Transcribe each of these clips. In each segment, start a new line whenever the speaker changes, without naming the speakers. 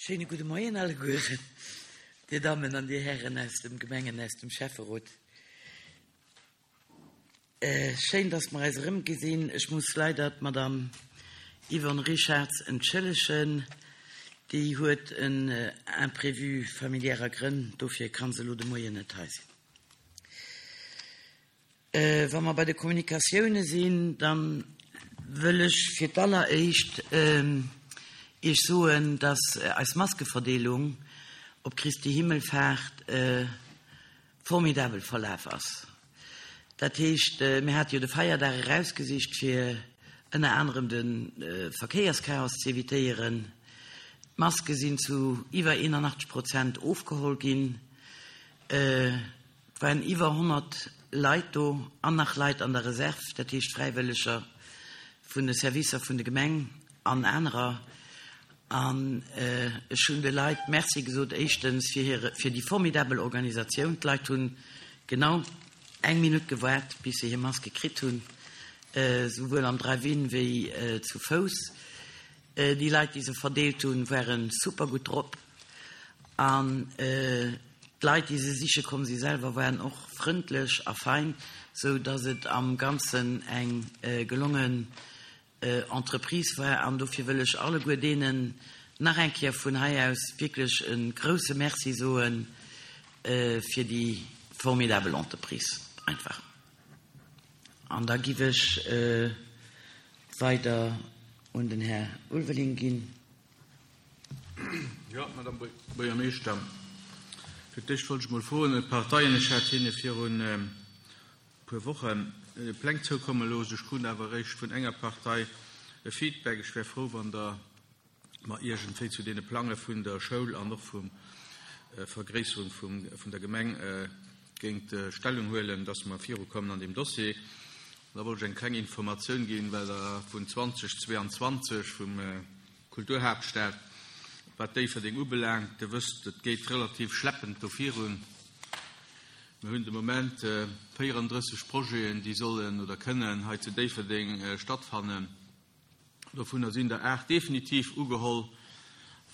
Schéine gudde Moien allegueren, Dir Dammen an Dir Hären aus dem Gemengen, aus dem Schäfferot. Schéin, dass mer eis erëmgesinn. Ech muss leider d'Madame Yvonne Richarz entschëllegen. Déi huet en Imprévu familiärer Grënn, dofir ka se elo de Moien net hei sinn. Wa mer bei de Kommunikatioune sinn, da wëll ech fir d'alleréischt Iech soen, dass eis Maskeverdeelung op Christi Himmelfaart formidabel verlaf ass. Dat heescht, mir hate jo de Feierdag erausgesicht, fir ënner anerem de Verkéierschaos ze evitéieren. D'Maske sinn zu iwwer 81 Prozent ofgeholl ginn. Et waren iwwer 100 Leit do an nach Leit an der Reserve, dat heescht Fräiwëlleger vun de Servicer vun de Gemeng an anerer. An ech hunn de Leit Merci gesot, éischtens fir hire, fir déi formidabel Organisatioun. D'Leit hunn genau eng Minutt gewaart, bis se hir Maske kritt hunn, souwuel am Drive-in wéi zu Fouss. Déi Leit, déi se verdeelt hunn, ware super gutt drop. An d'Leit, déi se siche komm si selwer, waren och frëndlech a fein, sou datt et am Ganzen eng gelongen Entreprise war an dofir wëll ech alleguer deenen nach eng Kéier vun hei aus wierklech e grouse Merci soe fir déi formidabel Entreprise einfach. An da giff ech weider un den Här Ulveling ginn.
Jo, Madame Buergermeeschter, fir d'éischt wollt ech mol froen, d'Parteien, ech hat hinne virun puer Wochen Pläng zoukomme looss. Ech krut awer eréischt vun enger Partei e Feedback. Ech wär frou, wann Der mer iergendwéi zu deene Plange vun der Schoul an och vum Vergréisserung vun der Gemeng géingt Stellung huelen, dass mer virukommen an deem Dossier. An da wollt ech eng kleng Informatioun ginn, well Der vun 2022 vum Kulturhaaptstad, wat Déifferdeng ubelaangt, Der wësst, et geet relativ schleppend do virun. Mir hunn de Moment 34 Projeten, déi sollen oder kënnen hei zu Déifferdeng stattfannen. Dovunner sinn der 8 definitiv ugeholl,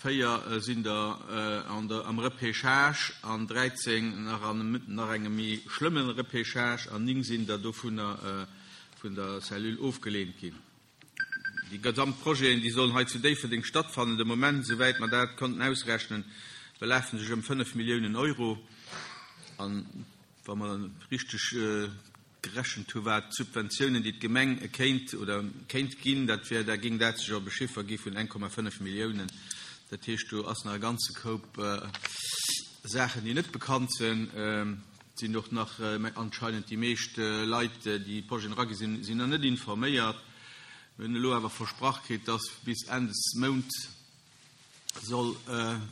4 sinn der am Repêchage an 13 nach an nach engem méi schlëmme Repêchage an 9 sinn der dovunner vun der Cellule ofgeleent ginn. Déi gesamt Projeten, déi sollen hei zu Déifferdeng stattfannen, de Moment, esouwäit mer dat konnten ausrechnen, belafen sech ëm 5 Milliounen Euro. An wa mer richteg gerechent hu wat d'Subventiounen, déi d'Gemeng kéint oder kéint ginn, dat wär, da géing dat sech op e Chiffer gi vun 1,5 Milliounen. Dat heescht, do ass nach e ganze Koup Saachen, déi net bekannt sinn. Et sinn och nach anscheinend déi meescht Leit, déi d'Projeten eragi sinn, sinn nach net informéiert. Mir hunn elo awer versprach kritt, dass bis Enn des Mount soll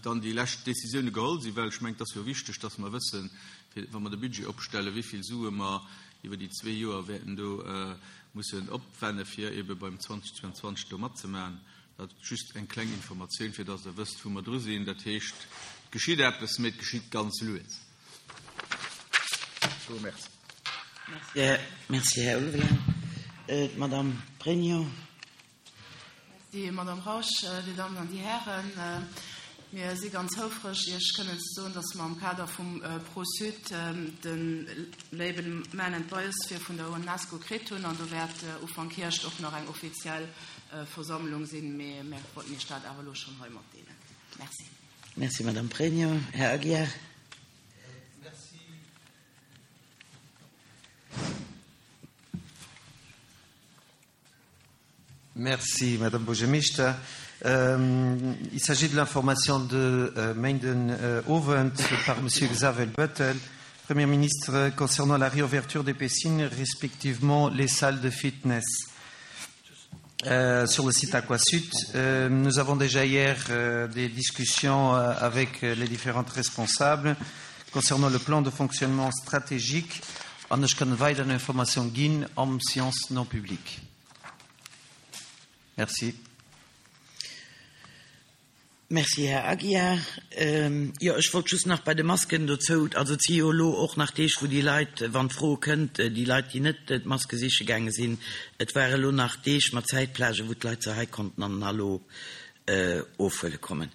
dann déi lescht Décisioune geholl sinn, well ech mengen, et ass jo wichteg, dass mer wëssen, fir wa mer de Budget opstellen, wéi vill Sue mer iwwer déi zwee Joer wäerten do mussen opwenne fir ebe beim 2022 do matzemaachen. Dat just eng kleng Informatioun, fir dass Der wësst, wou mer dru sinn. Dat heescht, et geschitt eppes, mee et geschitt ganz lues. Je vous remercie.
Merci, Här Ulveling. D'Madame Pregno.
Merci, Madame Rausch. Dir Dammen an Dir Hären, mir si ganz houfreg, Iech kënnen ze soen, dass mer am Kader vum ProSud de Label Man and Biosphere vun der UNESCO kritt hunn. An do wäert Ufank Hierscht och nach eng offiziell Versammlung sinn. Mee mir wollten Iech dat awer elo schonn hei matdeelen. Merci.
Merci, Madame Pregno. Här Aguiar.
Merci, Madame Buergermeeschter. Il s'agit de l'information de Méinden Owend par Monsieur Xavier Bettel, Premier ministre, concernant la réouverture des piscines, respectivement les salles de fitness. Euh, sur le site Aquasud. Euh, nous avons déjà hier euh, des discussions euh, avec les différentes responsables concernant le plan de fonctionnement stratégique an ech kann weider Information ginn am Séance non publique. Merci.
Merci, Här Aguiar. Jo, ech wollt just nach bei de Masken dozou, also et si jo elo och nach Deeg, wou déi Leit, wann d'Fro kënnt, déi Leit, déi net d'Maske siche gaange sinn, et ware elo nach Deeg mat Zäitplagen, wou d'Leit se hei konnten an den Hallo ofhuele kommen.